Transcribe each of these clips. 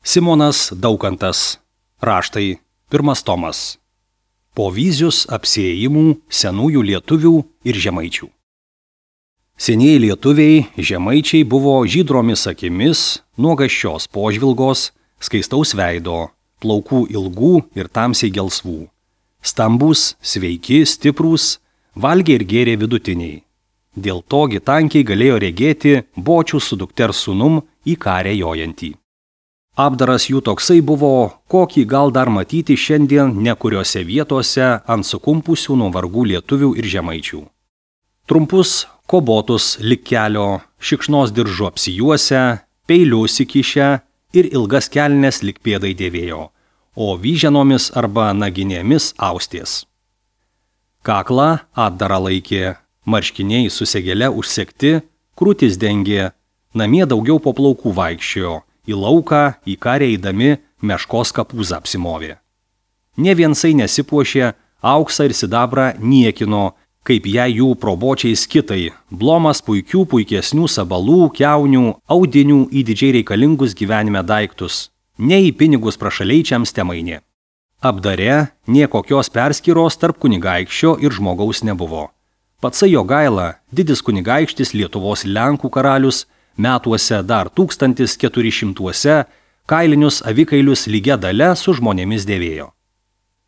Simonas Daukantas. Raštai. 1 tomas. Povyzius apsiėjimų senųjų lietuvių ir žemaičių. Senieji lietuviai, žemaičiai buvo žydromis akimis, nuogasčios požvilgos, skaistaus veido, plaukų ilgų ir tamsiai gelsvų. Stambūs, sveiki, stiprūs, valgė ir gėrė vidutiniai. Dėl to tankiai galėjo regėti bočių su dukters sūnum į karę jojantį. Apdaras jų toksai buvo, kokį gal dar matyti šiandien nekuriose vietose ant sukumpusių nuo vargų lietuvių ir žemaičių. Trumpus kobotus lik kelio, šikšnos diržu apsijuosę, peilius įkišę ir ilgas kelnes lik pėdai dėvėjo, o vyženomis arba naginėmis austės. Kaklą atdarą laikė, marškiniai su segele užsegti, krūtis dengė, namie daugiau po plaukų vaikščiojo, į lauką, į karę eidami meškos kapūzą apsimovė. Ne viensai nesipuošė, auksą ir sidabrą niekino, kaip jei jų probočiais kitai, blomas puikesnių sabalų, kiaunių, audinių į didžiai reikalingus gyvenime daiktus, ne į pinigus prašaleičiams temainė. Apdare nie kokios perskyros tarp kunigaikščio ir žmogaus nebuvo. Patsai Jogaila, didis kunigaikštis Lietuvos Lenkų karalius, metuose dar 1400-uose kailinius avikailius lygia dale su žmonėmis dėvėjo.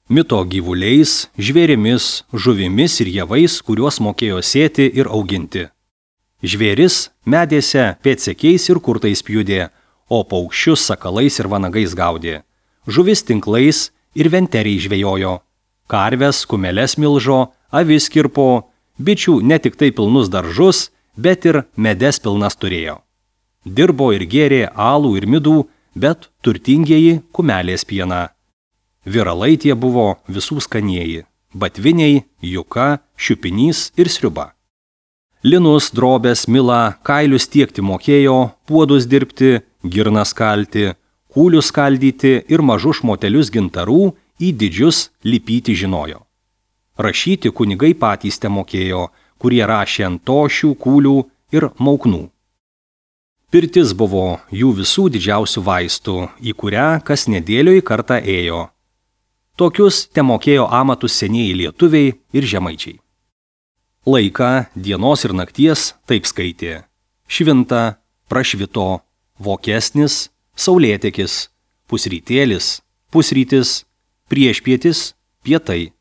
Mito gyvuliais, žvėrimis, žuvimis ir javais, kuriuos mokėjo sėti ir auginti. Žvėris medėse pėdsekiais ir kurtais pjudė, o paukščius sakalais ir vanagais gaudė. Žuvis tinklais ir venteriai žvejojo. Karves, kumeles milžo, avis kirpo, bičių ne tik tai pilnus daržus, bet ir medes pilnas turėjo. Dirbo ir gėrė alų ir midų, bet turtingieji kumelės pieną. Viralai tie buvo visų skanieji – batviniai, juka, šiupinys ir sriuba. Linus, drobės, milą, kailius tiekti mokėjo, puodus dirbti, girnas kalti, kūlius skaldyti ir mažus šmotelius gintarų į didžius lipyti žinojo. Rašyti kunigai patys te mokėjo, kurie rašė ant tošių, kūlių ir mauknų. Pirtis buvo jų visų didžiausių vaistų, į kurią kas nedėlioj kartą ėjo. Tokius te mokėjo amatus senieji lietuviai ir žemaičiai. Laiką dienos ir nakties taip skaitė: švinta, prašvito, vokesnis, saulėtekis, pusrytėlis, pusrytis, priešpietis, pietai,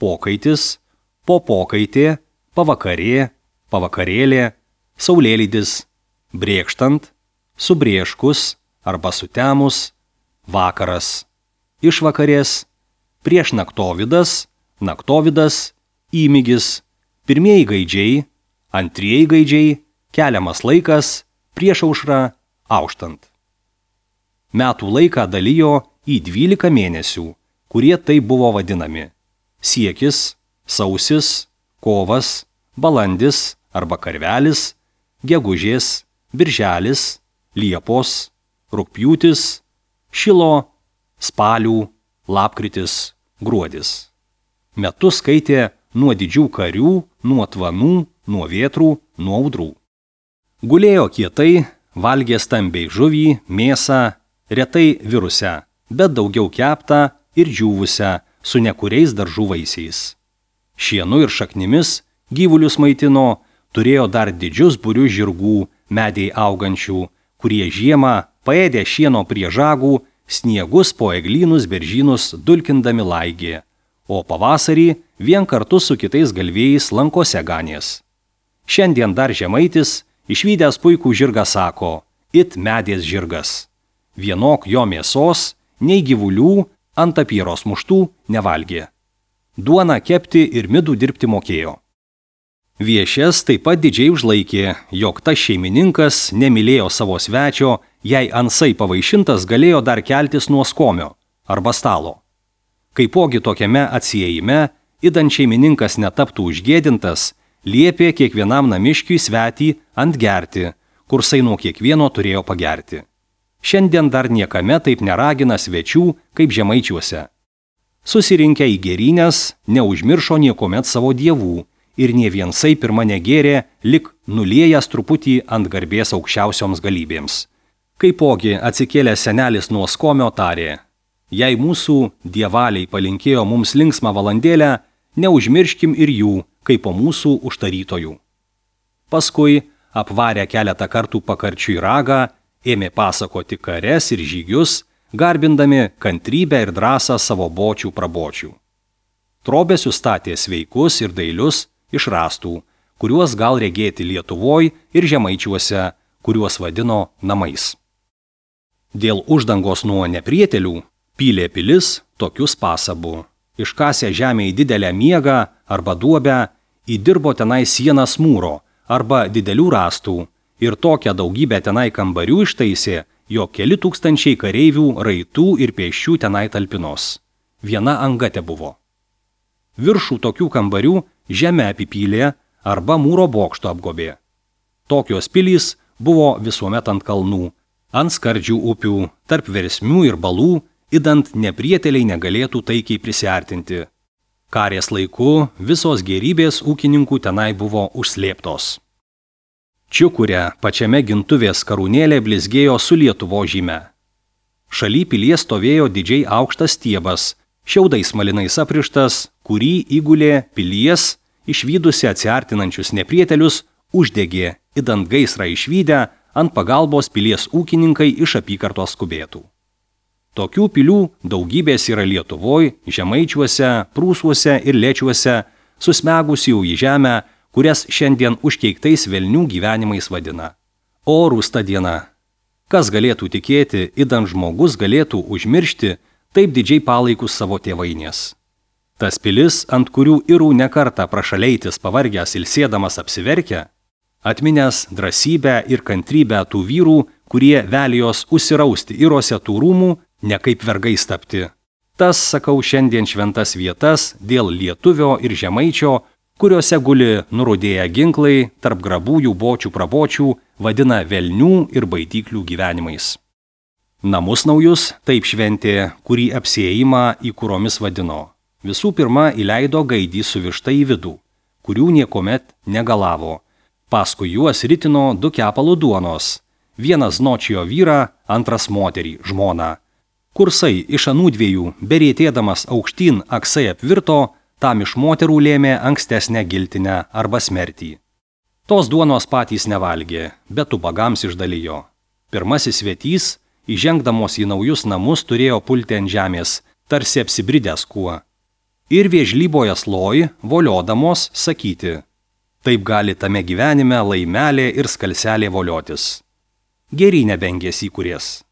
pokaitis, popokaitė, pavakarė, pavakarėlė, saulėlydis, brėkštant, subrėškus arba sutemus, vakaras, išvakarės, priešnaktovidas, naktovidas, įmygis, pirmieji gaidžiai, antrieji gaidžiai, keliamas laikas, priešaušra, auštant. Metų laiką dalijo į 12 mėnesių, kurie taip buvo vadinami: siekis, sausis, kovas, balandis arba karvelis, gegužės, birželis, liepos, rugpjūtis, šilo, spalių, lapkritis, gruodis. Metus skaitė nuo didžių karių, nuo tvanų, nuo vėtrų, nuo audrų. Gulėjo kietai, valgė stambiai žuvį, mėsą, retai virusią, bet daugiau keptą ir džiūvusią su nekuriais daržų vaisiais. Šienu ir šaknimis gyvulius maitino, turėjo dar didžius būrius žirgų, medžiai augančių, kurie žiemą paėdė šieno prie žagų, sniegus po eglynus beržynus dulkindami laigė, o pavasarį vien kartu su kitais galvėjais lankose ganės. Šiandien dar žemaitis, išvydęs puikų žirgą, sako: it medės žirgas. Vienok jo mėsos, nei gyvulių ant apyros muštų nevalgė. Duoną kepti ir midų dirbti mokėjo. Viešes taip pat didžiai užlaikė, jog tas šeimininkas nemylėjo savo svečio, jei ansai pavaišintas galėjo dar keltis nuo skomio arba stalo. Kaipogi tokiame atsiejime, idant šeimininkas netaptų užgėdintas, liepė kiekvienam namiškiui svetį ant gerti, kursai nuo kiekvieno turėjo pagerti. Šiandien dar niekame taip neragina svečių kaip žemaičiuose. Susirinkę į gėrynės, neužmiršo niekomet savo dievų ir nė viensai pirma negėrė, lik nulėjęs truputį ant garbės aukščiausioms galybėms. Kaipogi atsikėlęs senelis nuo skomio tarė: jei mūsų dievaliai palinkėjo mums linksmą valandėlę, neužmirškim ir jų, kaip po mūsų užtarytojų. Paskui, apvarę keletą kartų pakarčiui ragą, ėmė pasakoti kares ir žygius, garbindami kantrybę ir drąsą savo bočių prabočių. Trobesius statė sveikus ir dailius iš rąstų, kuriuos gal regėti Lietuvoj ir Žemaičiuose, kuriuos vadino namais. Dėl uždangos nuo neprietelių pylė pilis tokius pasabų. Iškasę žemėje didelę miegą arba duobę, įdirbo tenai sienas mūro arba didelių rąstų ir tokią daugybę tenai kambarių ištaisė, jog keli tūkstančiai kareivių, raitų ir pėsčių tenai talpinos. Viena anga tebuvo. Viršų tokių kambarių žemę apipylė arba mūro bokšto apgobė. Tokios pilys buvo visuomet ant kalnų, ant skardžių upių, tarp versmių ir balų, idant neprieteliai negalėtų taikiai prisiartinti. Karės laiku visos gėrybės ūkininkų tenai buvo užslėptos. Čiukurė pačiame gintuvės karūnėlė blizgėjo su Lietuvo žyme. Šaly pilies stovėjo didžiai aukštas stiebas, šiaudais malinais aprištas, kurį įgulė pilies, išvydusi atsiartinančius neprietelius, uždegė, idant gaisrą išvydę, ant pagalbos pilies ūkininkai iš apygardos skubėtų. Tokių pilių daugybės yra Lietuvoj, Žemaičiuose, Prūsuose ir Lečiuose, susmegusių į žemę, kurias šiandien užkeiktais velnių gyvenimais vadina. O rūsta diena! Kas galėtų tikėti, idant žmogus galėtų užmiršti taip didžiai palaikus savo tėvainės. Tas pilis, ant kurių irų nekartą prašaleitis pavargęs ilsėdamas apsiverkia, atminęs drąsybę ir kantrybę tų vyrų, kurie velijos užsirausti irose tų rūmų, ne kaip vergais tapti. Tas, sakau, šiandien šventas vietas dėl lietuvio ir žemaičio, kuriuose guli nurudėję ginklai tarp grabųjų bočių prabočių, vadina velnių ir baidyklių gyvenimais. Namus naujus taip šventė, kurį apsiėjimą į kuromis vadino. Visų pirma įleido gaidį su višta į vidų, kurių niekomet negalavo. Paskui juos ritino 2 kepalų duonos, vienas nočiojo vyrą, antras moterį, žmoną. Kursai iš anų dviejų, berėtėdamas aukštyn aksai apvirto, tam iš moterų lėmė ankstesnę giltinę arba smertį. Tos duonos patys nevalgė, bet ubagams išdalijo. Pirmasis svetys, įžengdamos į naujus namus, turėjo pulti ant žemės, tarsi apsibridęs kuo. Ir vėžlyboje sloj, voliodamos, sakyti: taip gali tame gyvenime laimelė ir skalselė voliotis. Geri nebengės įkūrės.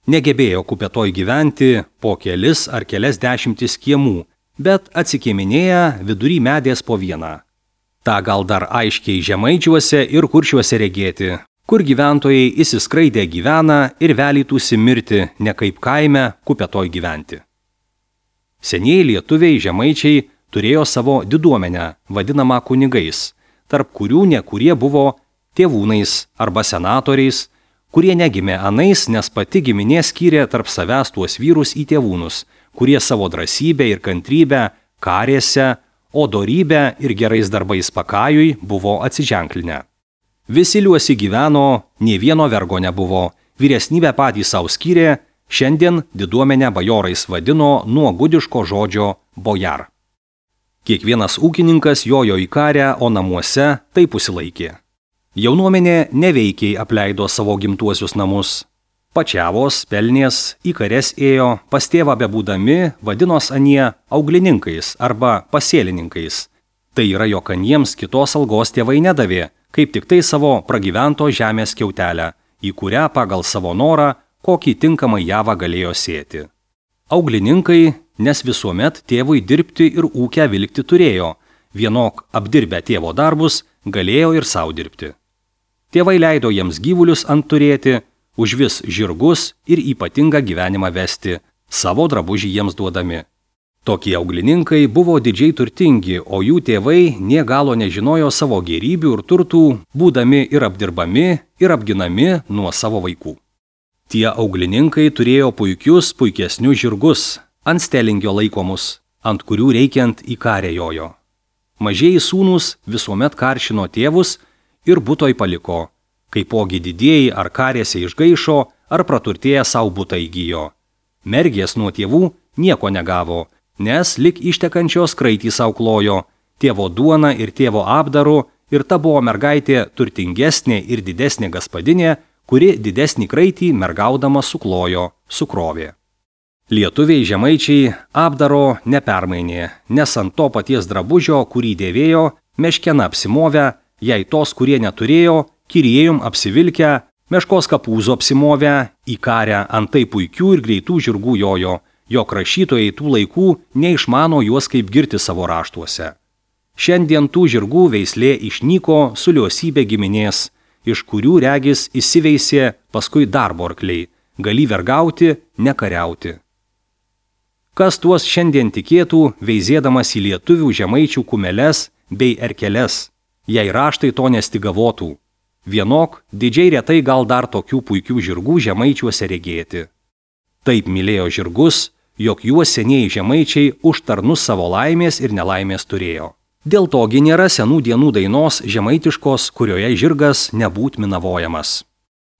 Negebėjo kupetoj gyventi po kelis ar kelias dešimtis kiemų, bet atsikėminėja vidury medės po vieną. Ta gal dar aiškiai Žemaičiuose ir Kuršiuose regėti, kur gyventojai įsiskraidę gyvena ir velytųsi mirti, ne kaip kaime kupetoj gyventi. Senieji lietuviai Žemaičiai turėjo savo diduomenę, vadinamą kunigais, tarp kurių nekurie buvo tėvūnais arba senatoriais, kurie negimė anais, nes pati giminė skyrė tarp savęs tuos vyrus į tėvūnus, kurie savo drąsybę ir kantrybę karėse, o dorybę ir gerais darbais pakajui buvo atsiženklinę. Visi liuosi gyveno, nė vieno vergo nebuvo, vyresnybę patys savo skyrė, šiandien diduomenę bajorais vadino nuo gudiško žodžio bojar. Kiekvienas ūkininkas jojo į karę, o namuose taip užsilaikė. Jaunuomenė neveikiai apleido savo gimtuosius namus. Pačiavos, pelnės, į kares ėjo, pas tėvą bebūdami vadinos anie auglininkais arba pasėlininkais. Tai yra, jog aniems kitos algos tėvai nedavė, kaip tik tai savo pragyvento žemės kiautelę, į kurią pagal savo norą kokį tinkamą javą galėjo sėti. Auglininkai, nes visuomet tėvui dirbti ir ūkę vilkti turėjo, vienok apdirbę tėvo darbus galėjo ir savo dirbti. Tėvai leido jiems gyvulius ant turėti, užvis žirgus ir ypatingą gyvenimą vesti, savo drabužį jiems duodami. Tokie auglininkai buvo didžiai turtingi, o jų tėvai nė galo nežinojo savo gėrybių ir turtų, būdami ir apdirbami, ir apginami nuo savo vaikų. Tie auglininkai turėjo puikesnius žirgus, ant stelingio laikomus, ant kurių reikiant į karę jojo. Mažieji sūnūs visuomet karšino tėvus ir butoj paliko. Kaipogi didieji ar karėse išgaišo, ar praturtėję savo butą įgyjo. Mergės nuo tėvų nieko negavo, nes lik ištekančios kraitį savo klojo, tėvo duona ir tėvo apdaru, ir ta buvo mergaitė turtingesnė ir didesnė gaspadinė, kuri didesnį kraitį mergaudama suklojo, sukrovė. Lietuviai žemaičiai apdaro nepermainė, nes ant to paties drabužio, kurį dėvėjo, meškena apsimovę, jei tos, kurie neturėjo, kirėjum apsivilkę, meškos kapūzų apsimovę, į karę antai puikių ir greitų žirgų jojo, jog rašytojai tų laikų neišmano juos kaip girti savo raštuose. Šiandien tų žirgų veislė išnyko su liosybė giminės, iš kurių regis įsiveisė paskui darbo arkliai, gali vergauti, nekariauti. Kas tuos šiandien tikėtų, veizėdamas į lietuvių žemaičių kumeles bei erkeles, jei raštai to nestigavotų. Vienok, didžiai retai gal dar tokių puikių žirgų žemaičiuose regėti. Taip mylėjo žirgus, jog juos senieji žemaičiai už tarnus savo laimės ir nelaimės turėjo. Dėl togi nėra senų dienų dainos žemaitiškos, kurioje žirgas nebūt minavojamas.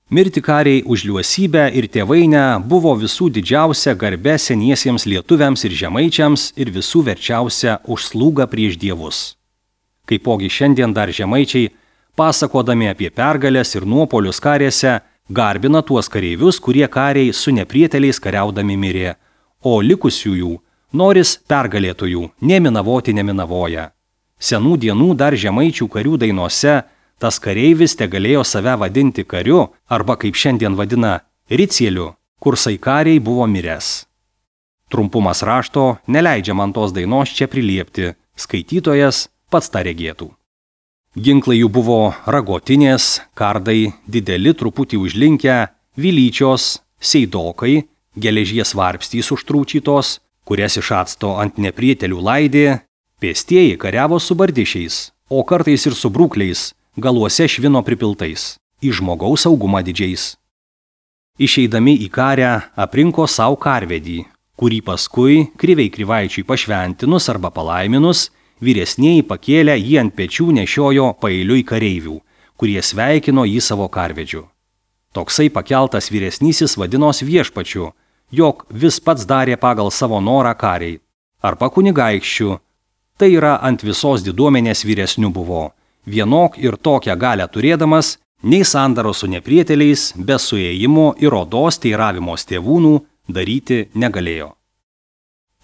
Mirti kariai už liuosybę ir tėvainę buvo visų didžiausia garbė seniesiems lietuviams ir žemaičiams ir visų verčiausia už slūgą prieš dievus. Kaipogi šiandien dar žemaičiai, pasakodami apie pergalės ir nuopolius karėse, garbina tuos kareivius, kurie kariai su neprieteliais kariaudami mirė, o likusiųjų, noris pergalėtojų, neminavoti neminavoja. Senų dienų dar žemaičių karių dainose tas kareivis tegalėjo save vadinti kariu arba kaip šiandien vadina ricieliu, kur saikariai buvo miręs. Trumpumas rašto neleidžia man tos dainos čia priliepti, skaitytojas pats tą regėtų. Ginklai jų buvo ragotinės, kardai, dideli truputį užlinkę, vilyčios, seidokai, geležies varpstys užtrūčytos, kurias iš acto ant neprietelių laidė. Pėstieji kariavo su bardišiais, o kartais ir su brūkliais, galuose švino pripiltais, į žmogaus saugumą didžiais. Išeidami į karę aprinko savo karvedį, kurį paskui kriviai krivaičiui pašventinus arba palaiminus, vyresnieji pakėlę jį ant pečių nešiojo paeiliui kareivių, kurie sveikino jį savo karvedžiu. Toksai pakeltas vyresnysis vadinos viešpačiu, jog vis pats darė pagal savo norą kariai, arba kunigaikščiu. Tai yra ant visos diduomenės vyresnių buvo, vienok ir tokią galę turėdamas, nei sandaro su neprieteliais, be suėjimo ir odos teiravimos tėvūnų daryti negalėjo.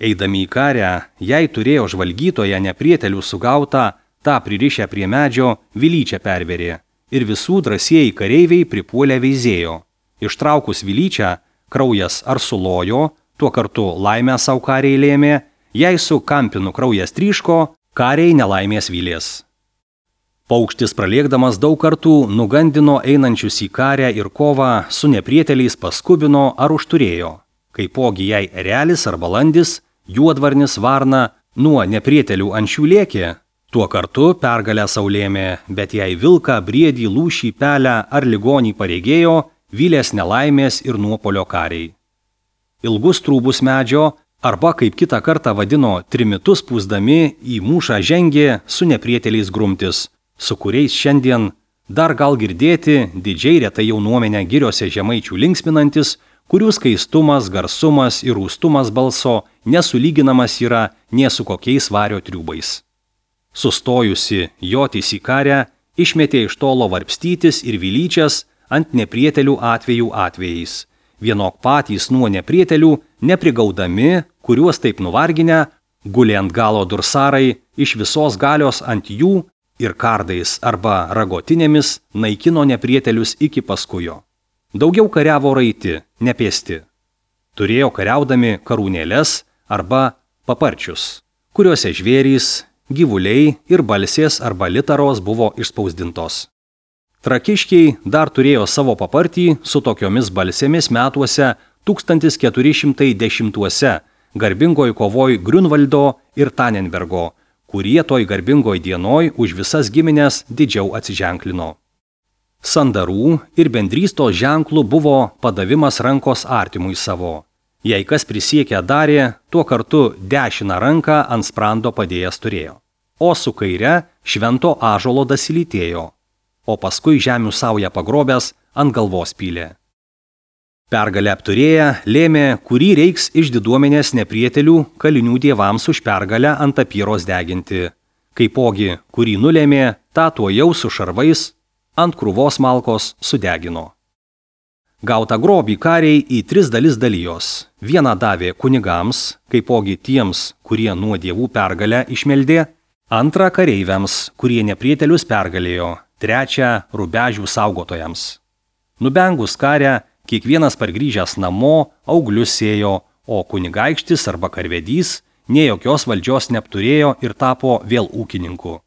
Eidami į karę, jei turėjo žvalgytoje neprietelių sugautą, tą pririšę prie medžio vilyčią perverė ir visų drąsieji kareiviai pripuolę veizėjo. Ištraukus vilyčią, kraujas ar sulojo, tuo kartu laimę savo kariai lėmė, jei su kampinu kraujas tryško, kariai nelaimės vylės. Paukštis pralėkdamas daug kartų nugandino einančius į karę ir kovą su neprieteliais paskubino ar užturėjo. Kaipogi jei erelis ar balandis, juodvarnis varna nuo neprietelių ančių lėkė, tuo kartu pergalę saulėmė, bet jei vilką, briedį, lūšį, pelę ar ligonį pareigėjo, vylės nelaimės ir nuopolio kariai. Ilgus trūbus medžio, arba kaip kitą kartą vadino trimitus pūsdami į mūšą žengė su neprieteliais grumtis, su kuriais šiandien dar gal girdėti didžiai retai jaunuomenę giriose žemaičių linksminantis, kurių skaistumas, garsumas ir rūstumas balso nesulyginamas yra nė su kokiais vario triūbais. Sustojusi jotis į karę, išmetė iš tolo varpstytis ir vilyčias ant neprietelių atvejų atvejais. Vienok patys nuo neprietelių, neprigaudami, kuriuos taip nuvarginę, gulė ant galo dursarai, iš visos galios ant jų ir kardais arba ragotinėmis naikino neprietelius iki paskujo. Daugiau kariavo raiti, nepėsti. Turėjo kariaudami karūnėles arba paparčius, kuriuose žvėrys, gyvuliai ir balsės arba litaros buvo išspausdintos. Trakiškiai dar turėjo savo papartį su tokiomis balsėmis metuose 1410-uose garbingoj kovoj Griunvaldo ir Tanenbergo, kurie toj garbingoj dienoj už visas giminės didžiau atsiženklino. Sandarų ir bendrystos ženklų buvo padavimas rankos artimui savo. Jei kas prisiekę darė, tuo kartu dešiną ranką ant sprando padėjęs turėjo, o su kaire švento ąžuolo dasilytėjo. o paskui žemių saują pagrobęs ant galvos pylė. Pergalę apturėję lėmė, kurį reiks iš diduomenės neprietelių kalinių dievams už pergalę ant apyros deginti. Kaipogi, kurį nulėmė, tą tuojau su šarvais ant krūvos malkos sudegino. Gautą grobį kariai į 3 dalis dalijos. Vieną davė kunigams, kaipogi tiems, kurie nuo dievų pergalę išmeldė, antrą kareiviams, kurie neprietelius pergalėjo, trečią rubežių saugotojams. Nubengus karę, kiekvienas pargrįžęs namo auglius sėjo, o kunigaikštis arba karvedys nė jokios valdžios neapturėjo ir tapo vėl ūkininku.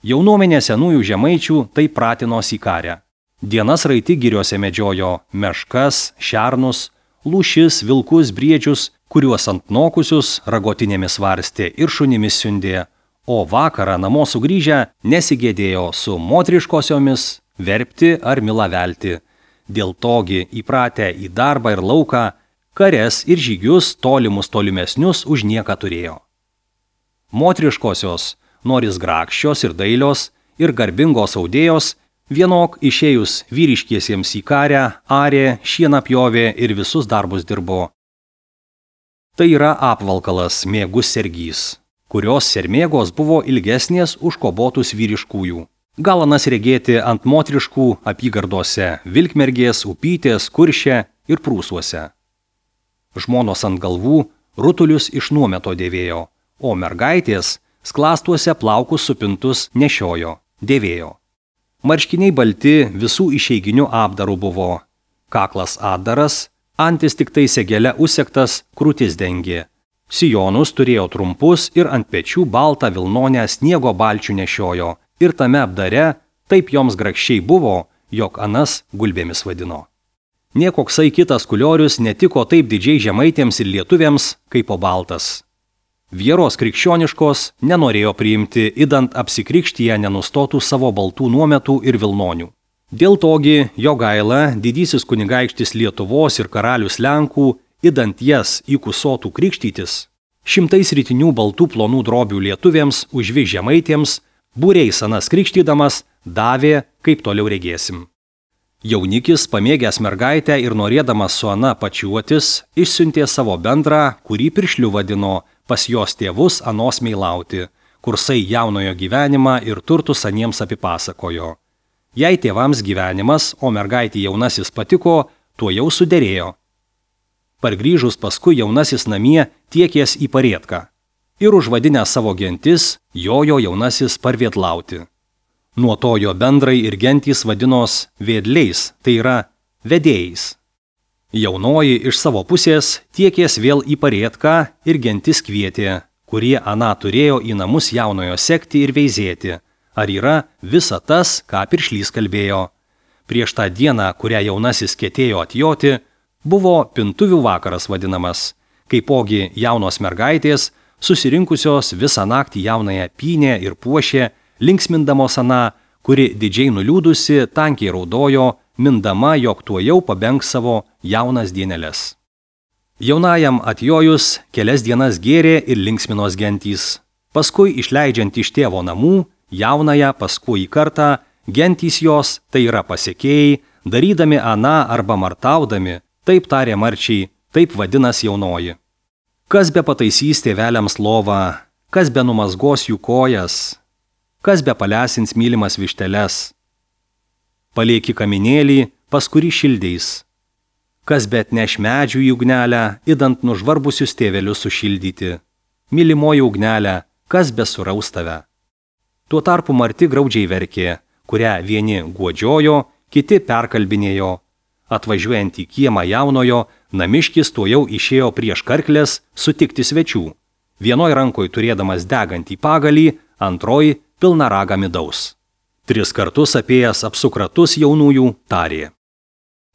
Jaunuomenė senųjų žemaičių taip pratinosi į karę. Dienas raiti giriuose medžiojo meškas, šernus, lūšis, vilkus, briedžius, kuriuos ant nokusius ragotinėmis varstė ir šunimis siundė, o vakarą namo sugrįžę nesigėdėjo su moteriškosiomis verpti ar milavelti. Dėl togi įpratę į darbą ir lauką, kares ir žygius tolimesnius už nieką turėjo. Moteriškosios, noris grakščios ir dailios ir garbingos audėjos, vienok išėjus vyriškiesiems į karę, arė, šieną pjovė ir visus darbus dirbo. Tai yra apvalkalas mėgus sergys, kurios sermėgos buvo ilgesnės už kobotus vyriškųjų. Galanas regėti ant moteriškų apygardose Vilkmergės, Upytės, Kurše ir Prūsuose. Žmonos ant galvų rutulius iš nuometo dėvėjo, o mergaitės sklastuose plaukus supintus nešiojo, dėvėjo. Marškiniai balti visų išeiginių apdarų buvo. Kaklas apdaras, antis tik tai segele užsegtas, krūtis dengė. Sijonus turėjo trumpus ir ant pečių baltą vilnonę sniego balčių nešiojo. Ir tame apdare taip joms grakščiai buvo, jog anas gulbėmis vadino. Niekoksai kitas kuliorius netiko taip didžiai žemaitėms ir lietuviams, kaip po baltas. Vieros krikščioniškos nenorėjo priimti, idant apsikrikštyje nenustotų savo baltų nuometų ir vilnonių. Dėl togi Jogaila, didysis kunigaikštis Lietuvos ir karalius Lenkų, idant jas įkusotų krikštytis, 100 rytinių baltų plonų drobių lietuviams užvi žemaitėms, būriais anas krikštydamas, davė, kaip toliau regėsim. Jaunikis, pamėgęs mergaitę ir norėdamas su ana pačiuotis, išsiuntė savo bendrą, kurį piršliu vadino, pas jos tėvus anos meilauti, kursai jaunojo gyvenimą ir turtus aniems apipasakojo. Jei tėvams gyvenimas, o mergaitį jaunasis patiko, tuo jau suderėjo. Pargrįžus paskui jaunasis namie tiekės į Parietką. Ir užvadinę savo gentis, jojo jaunasis parvėdlauti. Nuo to jo bendrai ir gentys vadinos vėdliais, tai yra vedėjais. Jaunoji iš savo pusės tiekės vėl į Parietką ir gentis kvietė, kurie aną turėjo į namus jaunojo sekti ir veizėti, ar yra visa tas, ką piršlys kalbėjo. Prieš tą dieną, kurią jaunasis ketėjo atjoti, buvo pintuvių vakaras vadinamas, kaipogi jaunos mergaitės, susirinkusios visą naktį jaunąją pynė ir puošė, linksmindamos aną, kuri didžiai nuliūdusi, tankiai raudojo, mindama, jog tuojau pabengs savo jaunas dieneles. Jaunajam atjojus kelias dienas gėrė ir linksminos gentys. Paskui išleidžiant iš tėvo namų, jaunąją paskui į kartą, gentys jos, tai yra pasekėjai, darydami aną arba martaudami, taip tarė marčiai, taip vadinas jaunoji. Kas be pataisys tėveliams lovą, kas be numazgos jų kojas, kas be palesins mylimas višteles. Palieki kaminėlį, pas kurį šildeis. Kas be atneš medžių į ugnelę, idant nužvarbusius tėvelius sušildyti. Mylimoji ugnelė, kas be suraus tave. Tuo tarpu marti graudžiai verkė, kurią vieni guodžiojo, kiti perkalbinėjo. Atvažiuojant į kiemą jaunojo, namiškis tuojau išėjo prieš karklės sutikti svečių. Vienoj rankoj turėdamas degantį pagalį, antroj pilna ragą midaus. 3 kartus apėjęs apsukratus jaunųjų tarė.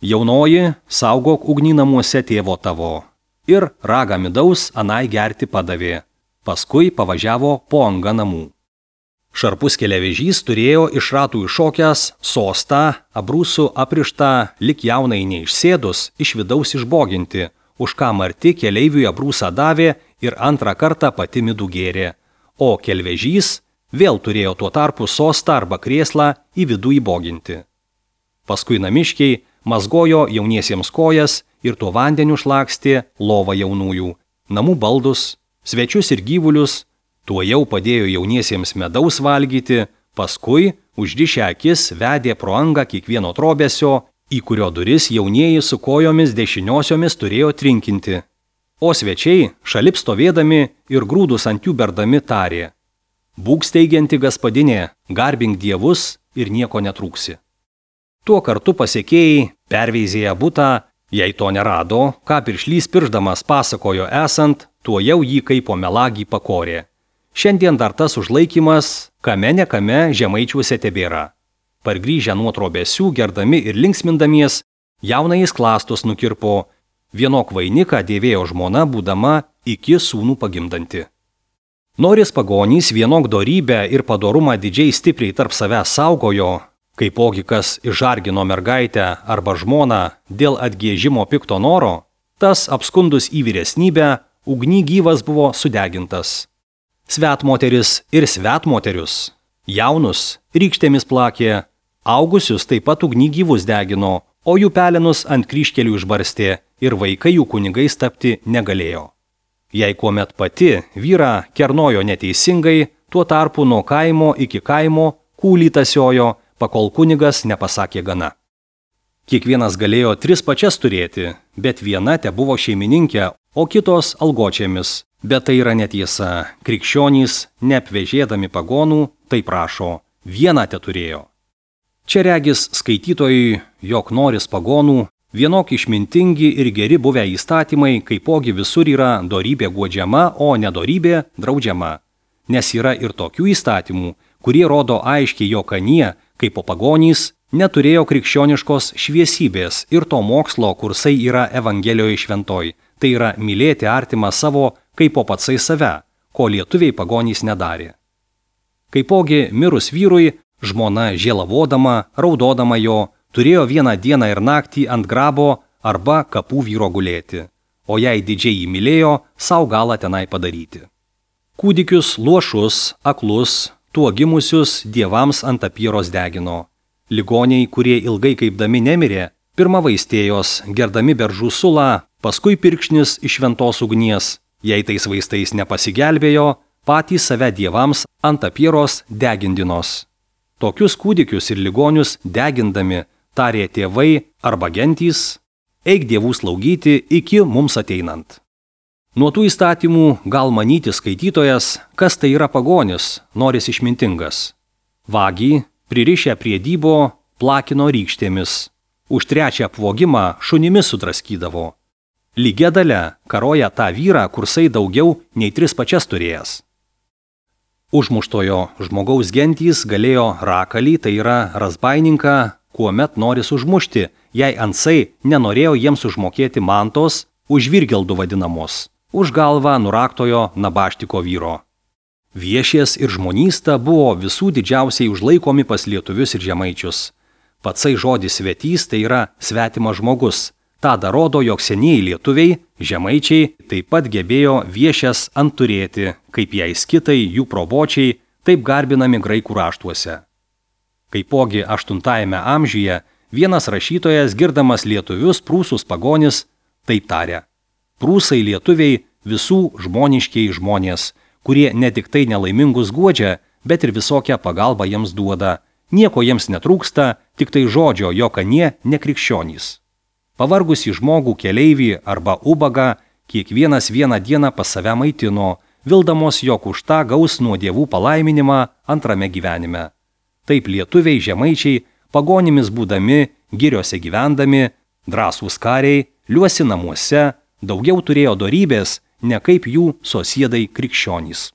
Jaunoji, saugok ugnį namuose tėvo tavo. Ir ragą midaus anai gerti padavė. Paskui pavažiavo po angą namų. Šarpus keliavežys turėjo iš ratų iššokęs sostą, abrūsų aprištą, lik jaunai neišsėdus, iš vidaus išboginti, už ką marti keleiviui abrūsą davė ir antrą kartą pati midų gėrė, o kelvežys vėl turėjo tuo tarpu sostą arba krėslą į vidų įboginti. Paskui namiškiai mazgojo jauniesiems kojas ir tuo vandeniu šlakstė lovą jaunųjų, namų baldus, svečius ir gyvulius, tuo jau padėjo jauniesiems medaus valgyti, paskui užrišę akis vedė pro angą kiekvieno trobesio, į kurio duris jaunieji su kojomis dešiniosiomis turėjo trinkinti. O svečiai, šalip stovėdami ir grūdus ant jų berdami tarė: Būk steigianti gaspadinė, garbink dievus ir nieko netrūksi. Tuo kartu pasekėjai perveizėję butą, jei to nerado, ką piršlys piršdamas pasakojo esant, tuo jau jį kaip po melagį pakorė. Šiandien dar tas užlaikymas, kame ne kame žemaičiuose tebėra. Pargrįžę nuo trobesių, gerdami ir linksmindamies, jaunais klastus nukirpo, vienok vainiką dėvėjo žmona, būdama iki sūnų pagimdanti. Noris pagonys vienok dorybę ir padorumą didžiai stipriai tarp savęs saugojo, kaipogi kas išžargino mergaitę arba žmoną dėl atgėžimo pikto noro, tas apskundus į vyresnybę, ugny gyvas buvo sudegintas. Svetmoteris ir svetmoterius, jaunus rykštėmis plakė, augusius taip pat ugny gyvus degino, o jų pelenus ant kryžkelių išbarstė ir vaikai jų kunigais tapti negalėjo. Jei kuomet pati vyrą kernojo neteisingai, tuo tarpu nuo kaimo iki kaimo kūlį tasiojo, pakol kunigas nepasakė gana. Kiekvienas galėjo 3 pačias turėti, bet viena tebuvo šeimininkė, o kitos algočiamis. Bet tai yra netiesa. Krikščionys, neapvežėdami pagonų, tai prašo, vieną teturėjo. Čia regis skaitytojui, jog noris pagonų, vienok išmintingi ir geri buvę įstatymai, kaipogi visur yra dorybė guodžiama, o nedorybė draudžiama. Nes yra ir tokių įstatymų, kurie rodo aiškiai, jog anie, kaip po pagonys, neturėjo krikščioniškos šviesybės ir to mokslo, kursai yra Evangelijoje šventoj, tai yra mylėti artimą savo kaip po patsai save, ko lietuviai pagonys nedarė. Kaipogi mirus vyrui, žmona žėlavodama, raudodama jo, turėjo vieną dieną ir naktį ant grabo arba kapų vyro gulėti, o jei didžiai jį mylėjo, sau galą tenai padaryti. Kūdikius, luošus, aklus, tuo gimusius dievams ant apyros degino. Ligoniai, kurie ilgai kaipdami nemirė, pirma vaistėjos, gerdami beržų sulą, paskui pirkšnis iš šventos ugnies, jei tais vaistais nepasigelbėjo, patys save dievams ant apyros degindinos. Tokius kūdikius ir ligonius degindami, tarė tėvai arba gentys, eik dievų slaugyti iki mums ateinant. Nuo tų įstatymų gal manyti skaitytojas, kas tai yra pagonis, noris išmintingas. Vagį, pririšę prie dybo, plakino rykštėmis. Už 3 apvogimą šunimis sudraskydavo. Lygia dalia karoja tą vyrą, kursai daugiau nei 3 pačias turėjęs. Užmuštojo žmogaus gentys galėjo rakalį, tai yra razbaininką, kuomet noris užmušti, jei ansai nenorėjo jiems užmokėti mantos, už virgeldų vadinamos, už galvą nuraktojo nabaštiko vyro. Viešės ir žmonysta buvo visų didžiausiai užlaikomi pas lietuvius ir žemaičius. Patsai žodis svetys, tai yra svetimas žmogus. Ta rodo, jog senieji lietuviai, žemaičiai taip pat gebėjo viešės ant turėti, kaip jai skitai, jų probočiai, taip garbinami graikų raštuose. Kaipogi 8 amžiuje vienas rašytojas, girdamas lietuvius prūsus pagonis, taip tarė: Prūsai lietuviai visų žmoniškiai žmonės, kurie ne tik tai nelaimingus guodžia, bet ir visokią pagalbą jiems duoda. Nieko jiems netrūksta, tik tai žodžio, jog anie nekrikščionys. Pavargusį žmogų keleivį arba ubagą kiekvienas vieną dieną pas save maitino, vildamos, jog už tą gaus nuo dievų palaiminimą antrame gyvenime. Taip lietuviai žemaičiai, pagonimis būdami, giriose gyvendami, drąsūs kariai, liuosi namuose, daugiau turėjo dorybės, ne kaip jų sosiedai krikščionys.